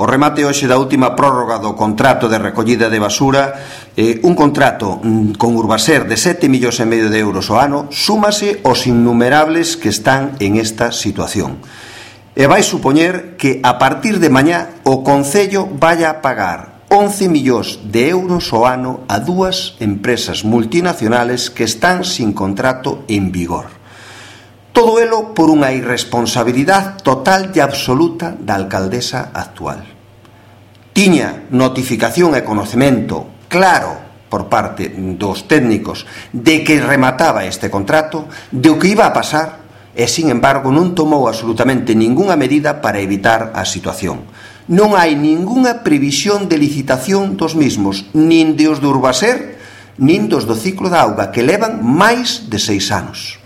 O remate hoxe da última prórroga do contrato de recollida de basura, un contrato con Urbaser de 7,5 millóns de euros ao ano, súmase aos innumerables que están en esta situación. E vai supoñer que a partir de mañá o Concello vai a pagar 11 millóns de euros ao ano a dúas empresas multinacionales que están sin contrato en vigor. Todo elo por unha irresponsabilidade total e absoluta da alcaldesa actual. Tiña notificación e conocemento claro por parte dos técnicos de que remataba este contrato, de o que iba a pasar, e, sin embargo, non tomou absolutamente ningunha medida para evitar a situación. Non hai ningunha previsión de licitación dos mismos, nin de os de Urbaser, nin dos do ciclo da auga, que levan máis de 6 anos.